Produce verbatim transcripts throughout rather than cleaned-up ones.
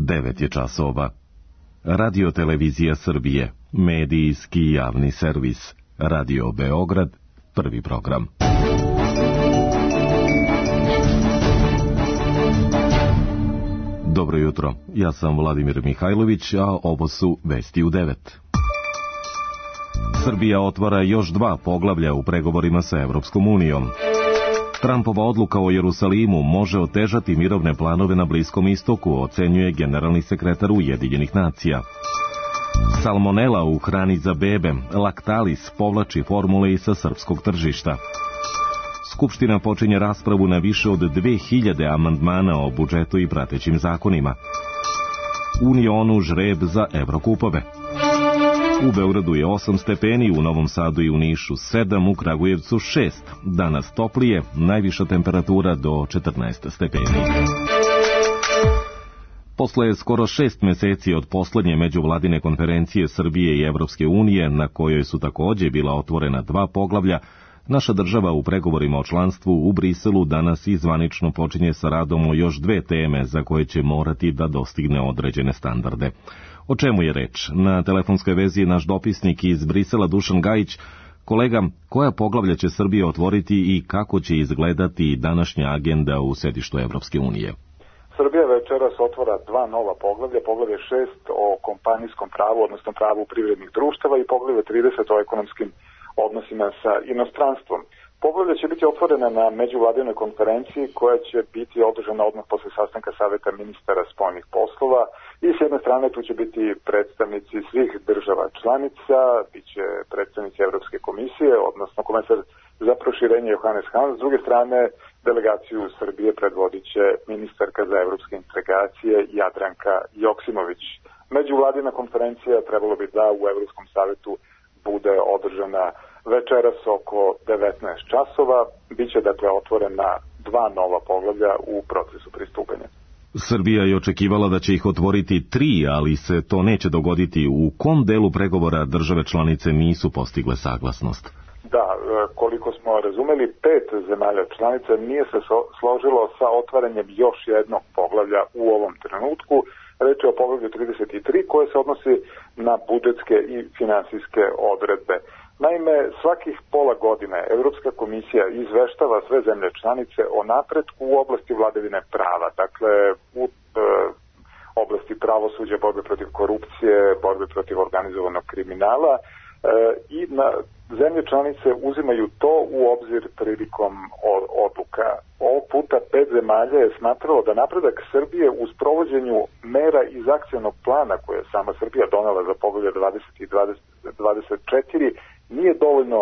devet je časova. Radio Televizija Srbije, medijski javni servis. Radio Beograd, prvi program. Dobro jutro, ja sam Vladimir Mihajlović, a ovo su vesti u devet. Srbija otvara još dva poglavlja u pregovorima sa Evropskom unijom. Trumpova odluka o Jerusalimu može otežati mirovne planove na Bliskom istoku, ocenjuje generalni sekretar Ujedinjenih nacija. Salmonela u hrani za bebe, Lactalis povlači formule i sa srpskog tržišta. Skupština počinje raspravu na više od dve hiljade amandmana o budžetu i pratećim zakonima. Unionu žreb za Evrokupove. U Beogradu je osam stepeni, u Novom Sadu i u Nišu sedam, u Kragujevcu šest. Danas toplije, najviša temperatura do četrnaest stepeni. Posle skoro šest meseci od poslednje međuvladine konferencije Srbije i Evropske unije, na kojoj su takođe bila otvorena dva poglavlja, naša država u pregovorima o članstvu u Briselu danas i zvanično počinje sa radom o još dve teme za koje će morati da dostigne određene standarde. O čemu je reč? Na telefonskoj vezi je naš dopisnik iz Brisela Dušan Gajić. Kolega, koja poglavlja će Srbija otvoriti i kako će izgledati današnja agenda u sedištu Evropske unije? Srbija večeras otvara dva nova poglavlja, poglavlje šest o kompanijskom pravu, odnosno pravu privrednih društava i poglavlje trideset o ekonomskim odnosima sa inostranstvom. Poglavlja će biti otvorena na međuvladinoj konferenciji koja će biti održana odmah posle sastanka Saveta ministara spoljnih poslova i s jedne strane tu će biti predstavnici svih država članica, bit će predstavnici Evropske komisije, odnosno komesar za proširenje Johannes Hahn, s druge strane delegaciju Srbije predvodit će ministarka za evropske integracije Jadranka Joksimović. Međuvladina konferencija trebalo bi da u Evropskom savetu bude održana večeras oko devetnaest časova. Biće dakle otvorena dva nova poglavlja u procesu pristupanja. Srbija je očekivala da će ih otvoriti tri, ali se to neće dogoditi. U kom delu pregovora države članice nisu postigle saglasnost? Da, koliko smo razumeli, pet zemalja članica nije se složilo sa otvaranjem još jednog poglavlja u ovom trenutku. Reč je o poglavlju trideset tri koje se odnosi na budžetske i finansijske odredbe. Naime, svakih pola godine Evropska komisija izveštava sve zemlje članice o napretku u oblasti vladavine prava, dakle u e, oblasti pravosuđa, borbe protiv korupcije, borbe protiv organizovanog kriminala e, i na zemlje članice uzimaju to u obzir prilikom odluka. Ovog puta pet zemalja je smatralo da napredak Srbije u sprovođenju mera iz akcionog plana koje je sama Srbija donela za poglavlje dvadeset i dvadeset četiri nije dovoljno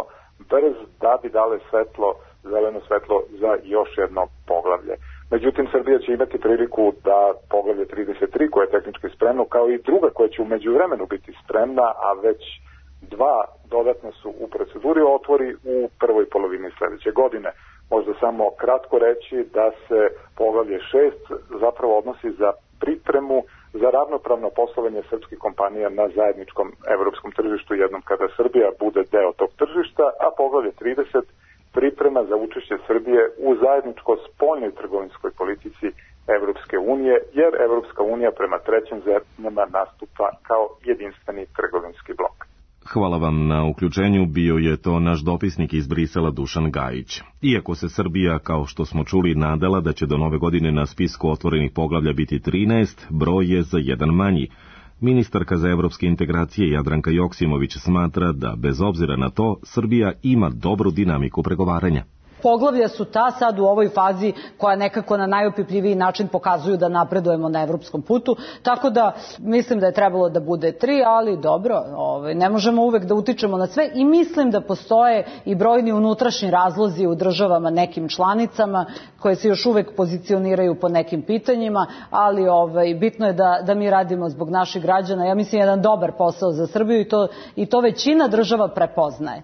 brz da bi dale svetlo, zeleno svetlo za još jedno poglavlje. Međutim, Srbija će imati priliku da poglavlje trideset tri, koje je tehnički spremno, kao i druga koja će u međuvremenu biti spremna, a već dva dodatno su u proceduri, otvori u prvoj polovini sledeće godine. Možda samo kratko reći da se poglavlje šest zapravo odnosi za pripremu za ravnopravno poslovanje srpskih kompanija na zajedničkom evropskom tržištu jednom kada Srbija bude deo tog tržišta, a poglavlje trideset priprema za učešće Srbije u zajedničko spoljnoj trgovinskoj politici Evropske unije, jer Evropska unija prema trećim zemljama nastupa kao jedinstveni trgovinski blok. Hvala vam na uključenju, bio je to naš dopisnik iz Brisela Dušan Gajić. Iako se Srbija, kao što smo čuli, nadala da će do nove godine na spisku otvorenih poglavlja biti trinaest, broj je za jedan manji. Ministarka za evropske integracije Jadranka Joksimović smatra da, bez obzira na to, Srbija ima dobru dinamiku pregovaranja. Poglavlja su ta sad u ovoj fazi koja nekako na najopipljiviji način pokazuju da napredujemo na evropskom putu, tako da mislim da je trebalo da bude tri, ali dobro, ovaj, ne možemo uvek da utičemo na sve i mislim da postoje i brojni unutrašnji razlozi u državama nekim članicama koje se još uvek pozicioniraju po nekim pitanjima, ali ovaj, bitno je da, da mi radimo zbog naših građana. Ja mislim jedan dobar posao za Srbiju i to, i to većina država prepoznaje.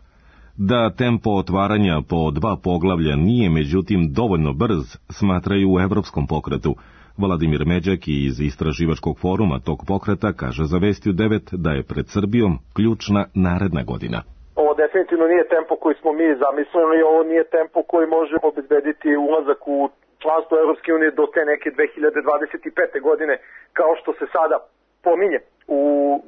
Da tempo otvaranja po dva poglavlja nije međutim dovoljno brz, smatraju u Evropskom pokretu. Vladimir Međak iz Istraživačkog foruma tog pokreta kaže za Vesti u devet da je pred Srbijom ključna naredna godina. Ovo definitivno nije tempo koji smo mi zamislili, ovo nije tempo koji može obezbediti ulazak u članstvo Evropske unije do te neke dve hiljade dvadeset pete. godine, kao što se sada pominje u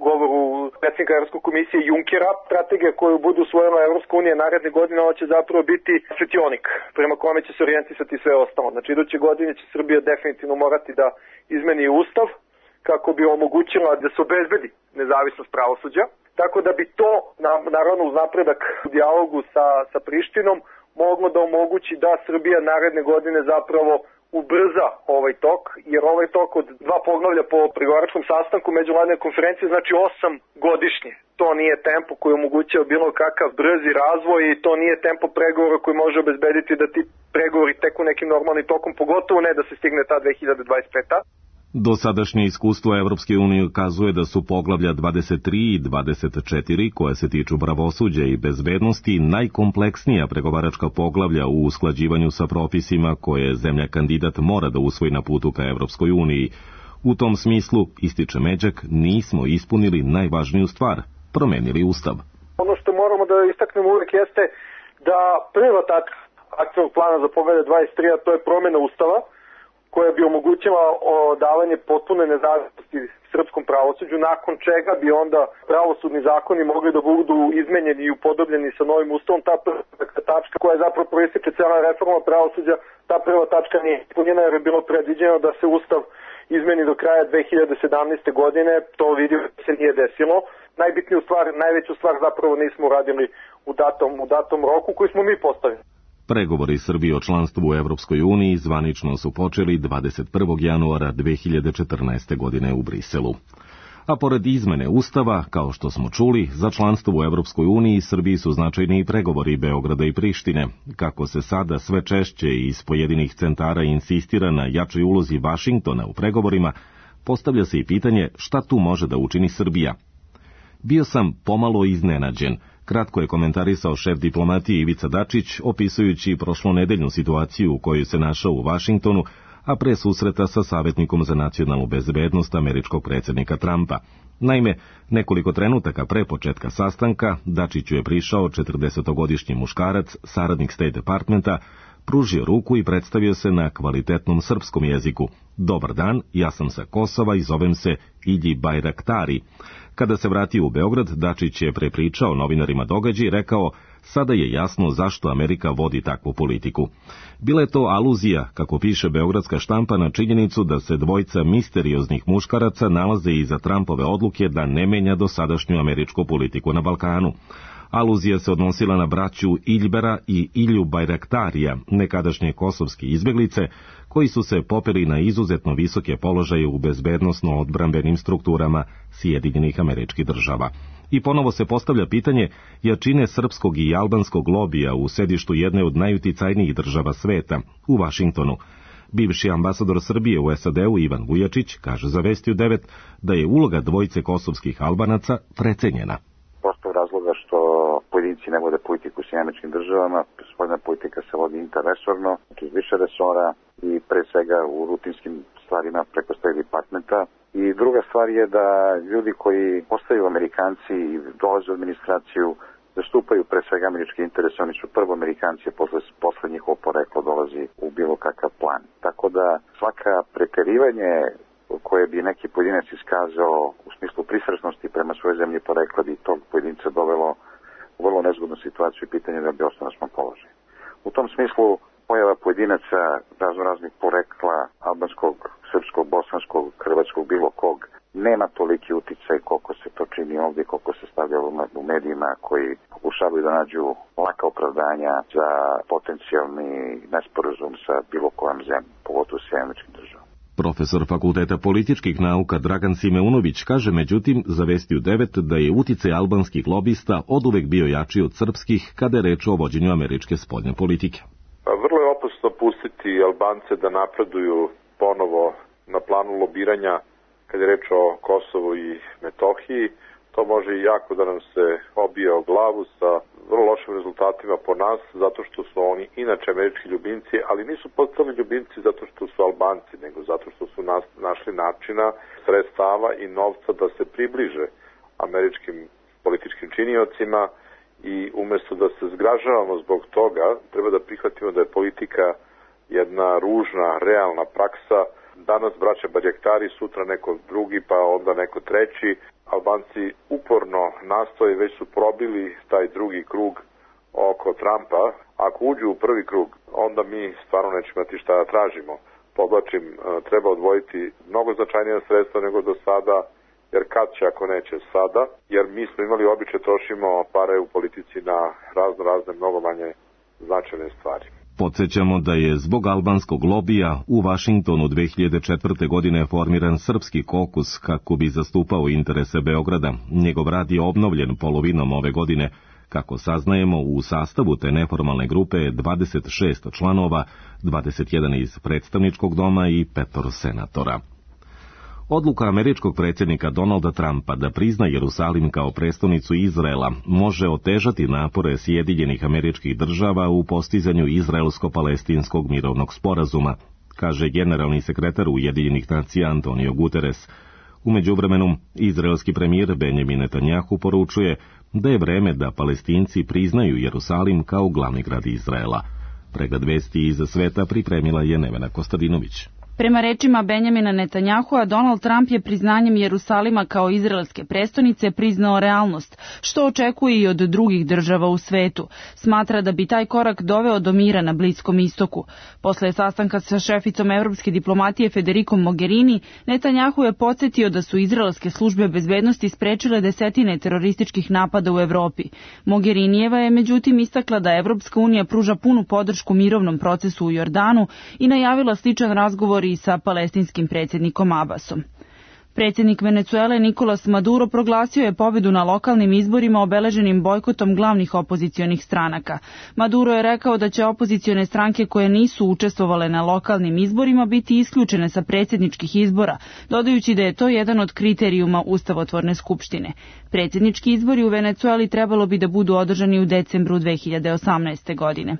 govoru predsjednika Evropske komisije Junckera. Strategija koju budu usvojila Evropska unija naredne godine, ona će zapravo biti svetionik prema kome će se orijentisati sve ostalo. Znači, iduće godine će Srbija definitivno morati da izmeni ustav kako bi omogućila da se obezbedi nezavisnost pravosuđa. Tako da bi to, naravno uz napredak u dijalogu sa, sa Prištinom, moglo da omogući da Srbija naredne godine zapravo ubrza ovaj tok, jer ovaj tok od dva poglavlja po pregovaračkom sastanku međuvladine konferencije znači osam godišnje. To nije tempo koji omogućava bilo kakav brzi razvoj i to nije tempo pregovora koji može obezbediti da ti pregovori teku nekim normalnim tokom, pogotovo ne da se stigne ta dve hiljade dvadeset peta. Dosadašnje iskustvo Evropske unije ukazuje da su poglavlja dvadeset tri i dvadeset četiri, koje se tiču pravosuđa i bezbednosti, najkompleksnija pregovaračka poglavlja u usklađivanju sa propisima koje zemlja kandidat mora da usvoji na putu ka Evropskoj uniji. U tom smislu, ističe Međak, nismo ispunili najvažniju stvar, promenili ustav. Ono što moramo da istaknemo uvek jeste da prva tačka akcionog plana za poglavlje dvadeset tri, a to je promjena ustava, koja bi omogućila davanje potpune nezavisnosti srpskom pravosuđu, nakon čega bi onda pravosudni zakoni mogli da budu izmenjeni i upodobljeni sa novim ustavom. Ta prva tačka koja je zapravo proističe cijela reforma pravosuđa, ta prva tačka nije ispunjena jer je bilo predviđeno da se ustav izmeni do kraja dve hiljade sedamnaeste. godine, to vidimo da se nije desilo. Najbitniju stvar, najveću stvar zapravo nismo uradili u datom, u datom roku koji smo mi postavili. Pregovori Srbije o članstvu u Evropskoj uniji zvanično su počeli dvadeset prvog januara dve hiljade četrnaeste. godine u Briselu. A pored izmene ustava, kao što smo čuli, za članstvo u Evropskoj uniji Srbiji su značajni i pregovori Beograda i Prištine. Kako se sada sve češće iz pojedinih centara insistira na jačoj ulozi Vašingtona u pregovorima, postavlja se i pitanje šta tu može da učini Srbija. Bio sam pomalo iznenađen, kratko je komentarisao šef diplomatije Ivica Dačić, opisujući prošlonedeljnu situaciju u kojoj se našao u Vašingtonu, a pre susreta sa savjetnikom za nacionalnu bezbednost američkog predsjednika Trumpa. Naime, nekoliko trenutaka pre početka sastanka, Dačiću je prišao četrdesetogodišnji muškarac, saradnik State Departmenta, pružio ruku i predstavio se na kvalitetnom srpskom jeziku. Dobar dan, ja sam sa Kosova i zovem se Ilji Bajraktari. Kada se vratio u Beograd, Dačić je prepričao novinarima događaj i rekao, sada je jasno zašto Amerika vodi takvu politiku. Bila je to aluzija, kako piše beogradska štampa, na činjenicu da se dvojca misterioznih muškaraca nalaze iza Trumpove odluke da ne menja dosadašnju američku politiku na Balkanu. Aluzija se odnosila na braću Iljbera i Ilju Bajraktarija, nekadašnje kosovske izbeglice, koji su se popeli na izuzetno visoke položaje u bezbednosno-odbrambenim strukturama Sjedinjenih Američkih Država. I ponovo se postavlja pitanje jačine srpskog i albanskog lobija u sedištu jedne od najuticajnijih država sveta, u Vašingtonu. Bivši ambasador Srbije u S A D-u Ivan Vujačić kaže za Vesti u devet da je uloga dvojice kosovskih Albanaca precenjena. Postoje razloga što pojedinci ne vode politiku u Sjedinjenim Američkim Državama, spoljna politika se vodi interresorno, znači iz više resora i pre svega u rutinskim stvarima preko State Departmenta. I druga stvar je da ljudi koji postaju Amerikanci i dolaze u administraciju zastupaju pre svega američke interese, oni su prvo Amerikanci, a posle, posle njihovo poreklo dolazi u bilo kakav plan. Tako da svaka preterivanje koje bi neki pojedinac iskazao u smislu pristrasnosti prema svojoj zemlji porekla bi tog pojedinca dovelo u vrlo nezgodnu situaciju i pitanje da bi ostao na svom položaju. U tom smislu pojava pojedinaca razno raznih porekla albanskog, srpskog, bosanskog, hrvatskog, bilo kog, nema toliki uticaj koliko se to čini ovdje, koliko se stavlja u medijima koji pokušavaju da nađu laka opravdanja za potencijalni nesporazum sa bilo kojom zemljom, pogotovo s Sjedinjenim Američkim Državama. Profesor Fakulteta političkih nauka Dragan Simeunović kaže međutim za Vesti u devet da je uticaj albanskih lobista oduvek bio jači od srpskih kada je reč o vođenju američke spoljne politike. Vrlo je opasno pustiti Albance da napreduju ponovo na planu lobiranja kad je reč o Kosovu i Metohiji. To može i jako da nam se obije o glavu sa vrlo lošim rezultatima po nas, zato što su oni inače američki ljubimci, ali nisu postali ljubimci zato što su Albanci, nego zato što su nas, našli načina, sredstava i novca da se približe američkim političkim činiocima i umjesto da se zgražavamo zbog toga, treba da prihvatimo da je politika jedna ružna, realna praksa. Danas braća Badjaktari, sutra neko drugi, pa onda neko treći. Albanci uporno nastoje, već su probili taj drugi krug oko Trumpa. Ako uđu u prvi krug, onda mi stvarno nećemo imati šta da tražimo. Podlačim, treba odvojiti mnogo značajnija sredstva nego do sada, jer kad će ako neće sada, jer mi smo imali običaj trošimo pare u politici na razno razne mnogo manje značajne stvari. Podsjećamo da je zbog albanskog lobija u Vašingtonu dve hiljade četvrte. godine formiran Srpski kokus kako bi zastupao interese Beograda. Njegov rad je obnovljen polovinom ove godine. Kako saznajemo, u sastavu te neformalne grupe je dvadeset šest članova, dvadeset jedan iz predstavničkog doma i petor senatora. Odluka američkog predsjednika Donalda Trumpa da prizna Jerusalim kao prestonicu Izraela može otežati napore Sjedinjenih Američkih Država u postizanju izraelsko-palestinskog mirovnog sporazuma, kaže generalni sekretar Ujedinjenih nacija Antonio Guterres. U međuvremenu, izraelski premijer Benjamin Netanjahu poručuje da je vreme da Palestinci priznaju Jerusalim kao glavni grad Izraela. Pregled vesti iz sveta pripremila je Nevena Kostadinović. Prema rečima Benjamina Netanjahua, Donald Trump je priznanjem Jerusalima kao izraelske prestonice priznao realnost, što očekuje i od drugih država u svetu. Smatra da bi taj korak doveo do mira na Bliskom istoku. Posle sastanka sa šeficom evropske diplomatije Federikom Mogherini, Netanjahu je podsjetio da su izraelske službe bezbednosti sprečile desetine terorističkih napada u Evropi. Mogherinijeva je međutim istakla da Evropska unija pruža punu podršku mirovnom procesu u Jordanu i najavila sličan razgovor i sa palestinskim predsjednikom Abbasom. Predsjednik Venecuele Nicolas Maduro proglasio je pobedu na lokalnim izborima obeleženim bojkotom glavnih opozicionih stranaka. Maduro je rekao da će opozicione stranke koje nisu učestvovale na lokalnim izborima biti isključene sa predsjedničkih izbora, dodajući da je to jedan od kriterijuma Ustavotvorne skupštine. Predsjednički izbori u Venecueli trebalo bi da budu održani u decembru dve hiljade osamnaeste. godine.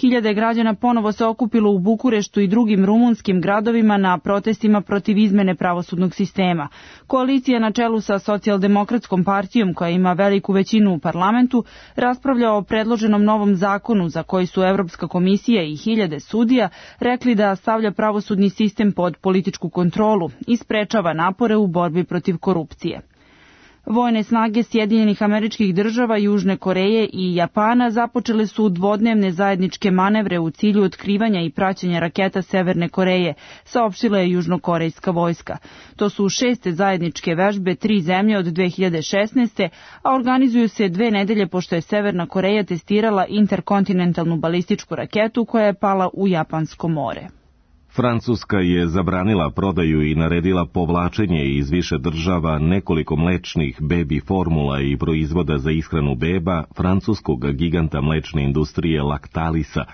Hiljade građana ponovo se okupilo u Bukureštu i drugim rumunskim gradovima na protestima protiv izmene pravosudnog sistema. Koalicija na čelu sa Socijaldemokratskom partijom, koja ima veliku većinu u parlamentu, raspravlja o predloženom novom zakonu za koji su Evropska komisija i hiljade sudija rekli da stavlja pravosudni sistem pod političku kontrolu i sprečava napore u borbi protiv korupcije. Vojne snage Sjedinjenih Američkih Država, Južne Koreje i Japana započele su dvodnevne zajedničke manevre u cilju otkrivanja i praćenja raketa Severne Koreje, saopštila je južnokorejska vojska. To su šeste zajedničke vežbe tri zemlje od dve hiljade šesnaeste. a organizuju se dve nedelje pošto je Severna Koreja testirala interkontinentalnu balističku raketu koja je pala u Japansko more. Francuska je zabranila prodaju i naredila povlačenje iz više država nekoliko mlečnih bebi formula i proizvoda za ishranu beba francuskog giganta mlečne industrije Lactalisa.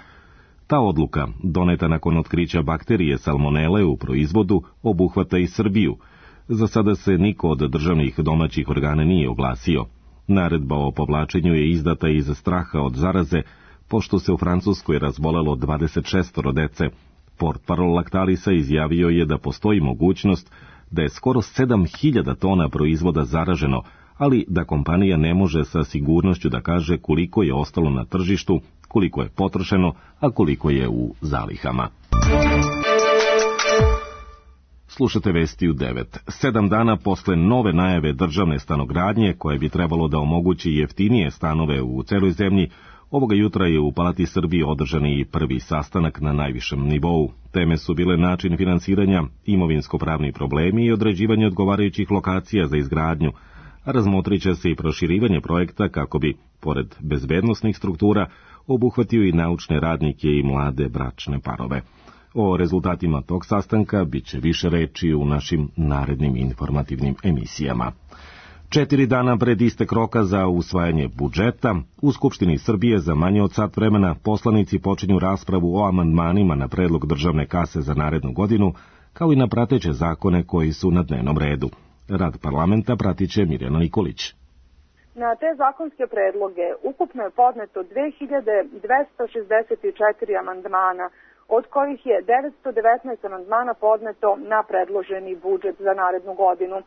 Ta odluka, doneta nakon otkrića bakterije salmonele u proizvodu, obuhvata i Srbiju. Za sada se niko od državnih domaćih organa nije oglasio. Naredba o povlačenju je izdata iz straha od zaraze, pošto se u Francuskoj razbolelo dvadeset šest dece. Portparol Lactalisa izjavio je da postoji mogućnost da je skoro sedam hiljada tona proizvoda zaraženo, ali da kompanija ne može sa sigurnošću da kaže koliko je ostalo na tržištu, koliko je potrošeno, a koliko je u zalihama. Slušate vesti u devet. Sedam dana posle nove najave državne stanogradnje, koje bi trebalo da omogući jeftinije stanove u celoj zemlji, ovoga jutra je u Palati Srbije održan i prvi sastanak na najvišem nivou. Teme su bile način finansiranja, imovinsko-pravni problemi i određivanje odgovarajućih lokacija za izgradnju, a razmotrit će se i proširivanje projekta kako bi, pored bezbednosnih struktura, obuhvatio i naučne radnike i mlade bračne parove. O rezultatima tog sastanka bit će više reči u našim narednim informativnim emisijama. Četiri dana pred istek roka za usvajanje budžeta, u Skupštini Srbije za manje od sat vremena poslanici počinju raspravu o amandmanima na predlog državne kase za narednu godinu, kao i na prateće zakone koji su na dnevnom redu. Rad parlamenta pratit će Mirjana Nikolić. Na te zakonske predloge ukupno je podneto dve hiljade dvesta šezdeset četiri amandmana, od kojih je devetsto devetnaest amandmana podneto na predloženi budžet za narednu godinu.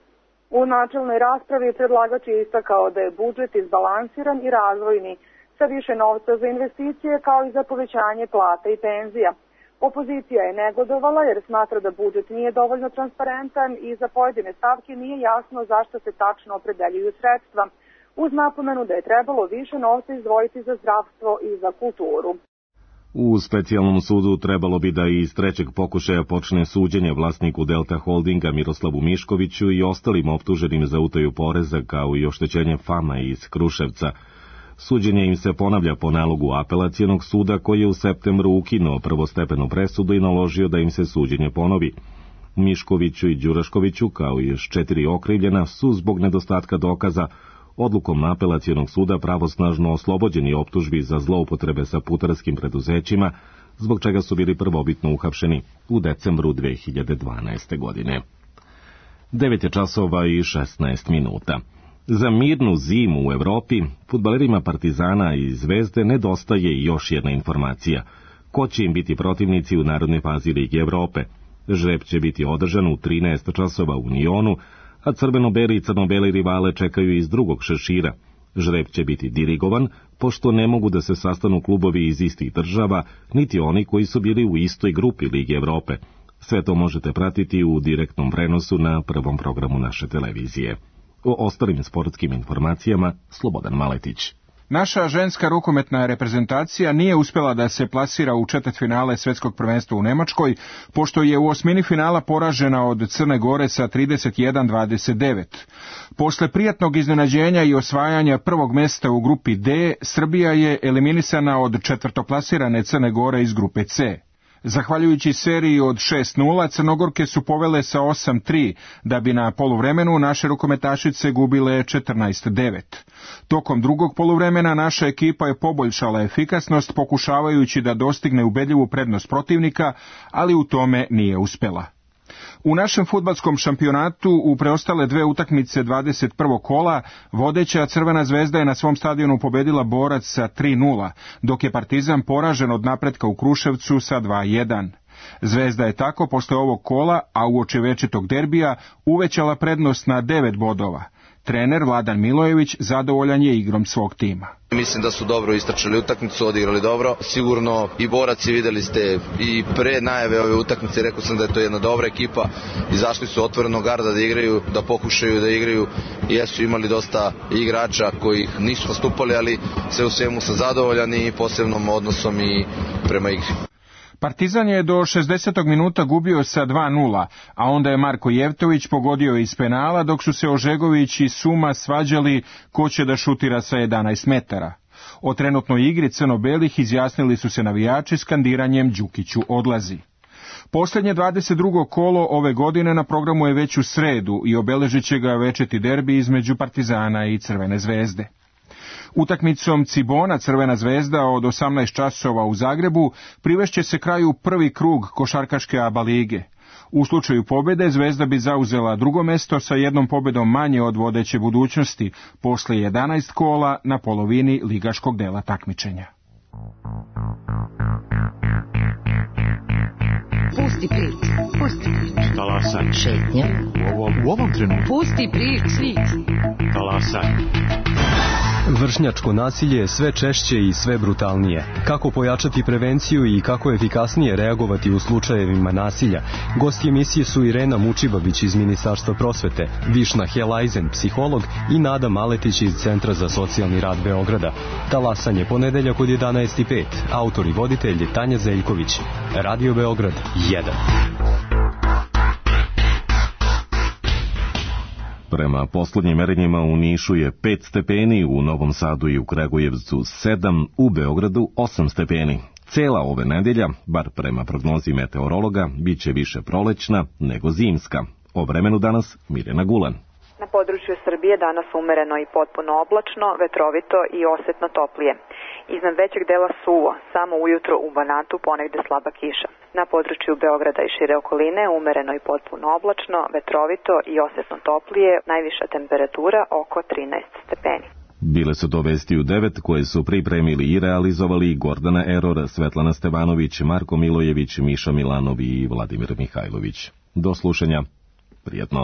U načelnoj raspravi predlagač je istakao da je budžet izbalansiran i razvojni, sa više novca za investicije kao i za povećanje plata i penzija. Opozicija je negodovala jer smatra da budžet nije dovoljno transparentan i za pojedine stavke nije jasno zašto se tačno opredeljuju sredstva, uz napomenu da je trebalo više novca izdvojiti za zdravstvo i za kulturu. U specijalnom sudu trebalo bi da iz trećeg pokušaja počne suđenje vlasniku Delta Holdinga Miroslavu Miškoviću i ostalim optuženim za utaju poreza kao i oštećenje Fama iz Kruševca. Suđenje im se ponavlja po nalogu apelacijonog suda koji je u septembru ukinuo prvostepenu presudu i naložio da im se suđenje ponovi. Miškoviću i Đuraškoviću, kao i još četiri okrivljena, su zbog nedostatka dokaza odlukom apelacijonog suda pravosnažno oslobođeni optužbi za zloupotrebe sa putarskim preduzećima, zbog čega su bili prvobitno uhapšeni u decembru dve hiljade dvanaeste. godine. devet je časova i šesnaest minuta. Za mirnu zimu u Evropi, fudbalerima Partizana i Zvezde nedostaje još jedna informacija. Ko će im biti protivnici u narodnoj fazi Lige Evrope? Žreb će biti održan u trinaest časova u Nionu, a crveno-beli i crno-beli rivale čekaju iz drugog šešira. Žreb će biti dirigovan, pošto ne mogu da se sastanu klubovi iz istih država, niti oni koji su bili u istoj grupi Lige Evrope. Sve to možete pratiti u direktnom prenosu na prvom programu naše televizije. O ostalim sportskim informacijama Slobodan Maletić. Naša ženska rukometna reprezentacija nije uspjela da se plasira u četvrtfinale svjetskog prvenstva u Nemačkoj, pošto je u osmini finala poražena od Crne Gore sa trideset jedan dvadeset devet. Posle prijatnog iznenađenja i osvajanja prvog mjesta u grupi D, Srbija je eliminisana od četvrtoplasirane Crne Gore iz grupe C. Zahvaljujući seriji od šest nula, Crnogorke su povele sa osam tri, da bi na poluvremenu naše rukometašice gubile četrnaest devet. Tokom drugog poluvremena naša ekipa je poboljšala efikasnost, pokušavajući da dostigne ubedljivu prednost protivnika, ali u tome nije uspjela. U našem fudbalskom šampionatu u preostale dve utakmice dvadeset prvog kola vodeća Crvena zvezda je na svom stadionu pobedila Borac sa tri nula, dok je Partizan poražen od napretka u Kruševcu sa dva jedan. Zvezda je tako posle ovog kola, a uoči večitog derbija, uvećala prednost na devet bodova. Trener Vladan Milojević zadovoljan je igrom svog tima. Mislim da su dobro istračili utakmicu, odigrali dobro. Sigurno i boraci, vidjeli ste i pre najave ove utakmice, rekao sam da je to jedna dobra ekipa. Izašli su otvoreno garda da igraju, da pokušaju da igraju. Jesu imali dosta igrača koji nisu nastupali, ali sve u svemu sam zadovoljan i posebnom odnosom i prema igri. Partizan je do šezdesetog minuta gubio sa dva nula, a onda je Marko Jevtović pogodio iz penala, dok su se Ožegović i Suma svađali ko će da šutira sa jedanaest metara. O trenutnoj igri crno-belih izjasnili su se navijači skandiranjem Đukiću odlazi. Posljednje dvadeset drugo kolo ove godine na programu je već u sredu i obeležit će ga večiti derbi između Partizana i Crvene zvezde. Utakmicom Cibona Crvena zvezda od osamnaest časova u Zagrebu privešće se kraju prvi krug košarkaške ABA lige. U slučaju pobjede Zvezda bi zauzela drugo mesto sa jednom pobjedom manje od vodeće Budućnosti posle jedanaest kola na polovini ligaškog dela takmičenja. Pusti prič, pusti prič. Talasaj. Šetnja. U ovom, u ovom trenutku. Pusti prič, svic. Talasaj. Vršnjačko nasilje je sve češće i sve brutalnije. Kako pojačati prevenciju i kako efikasnije reagovati u slučajevima nasilja? Gosti emisije su Irena Mučibabić iz Ministarstva prosvete, Višna Helajzen, psiholog i Nada Maletić iz Centra za socijalni rad Beograda. Talasanje ponedeljak od jedanaest i pet. Autor i voditelj Tanja Zeljković. Radio Beograd jedan. Prema poslednjim merenjima u Nišu je pet stepeni, u Novom Sadu i u Kragujevcu sedam, u Beogradu osam stepeni. Cela ove nedelja, bar prema prognozi meteorologa, bit će više prolećna nego zimska. O vremenu danas Mirjana Gulan. Na području Srbije danas umereno i potpuno oblačno, vetrovito i osetno toplije. Iznad većeg dela suvo, samo ujutro u Banatu ponegde slaba kiša. Na području Beograda i šire okoline umereno i potpuno oblačno, vetrovito i osetno toplije, najviša temperatura oko trinaest stepeni. Bile su to vesti u devet koje su pripremili i realizovali Gordana Eror, Svetlana Stevanović, Marko Milojević, Miša Milanov i Vladimir Mihajlović. Do slušanja. Prijetno.